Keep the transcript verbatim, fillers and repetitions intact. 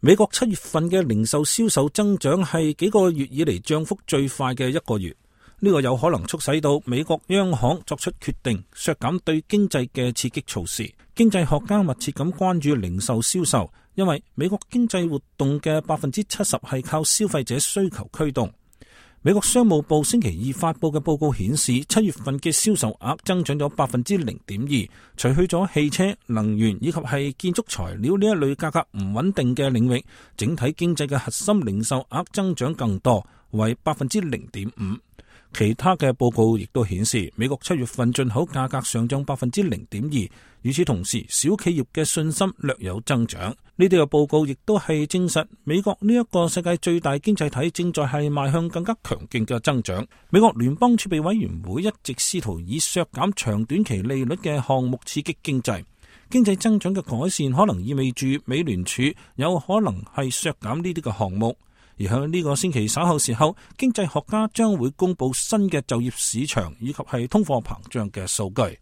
美國七月份嘅零售銷售增長係幾個月以嚟漲幅最快嘅一個月，呢個有可能促使到美國央行作出決定，削減對經濟嘅刺激措施。經濟學家密切咁關注零售銷售，因為美國經濟活動嘅百分之七十係靠消費者需求驅動。美國商務部星期二發佈嘅報告顯示，七月份嘅銷售額增長咗百分之零點二，除去咗汽車、能源以及係建築材料呢一類價格唔穩定嘅領域，整體經濟嘅核心零售額增長更多，為百分之零點五。其他嘅報告亦都顯示，美國七月份進口價格上漲百分之零點二。與此同時，小企業嘅信心略有增長。呢啲嘅報告亦都係證實，美國呢一個世界最大經濟體正在係邁向更加強勁嘅增長。美國聯邦儲備委員會一直試圖以削減長短期利率嘅項目刺激經濟。經濟增長嘅改善可能意味住美聯儲有可能係削減呢啲嘅項目。而喺呢個星期稍後時候，經濟學家將會公布新嘅就業市場以及係通貨膨脹嘅數據。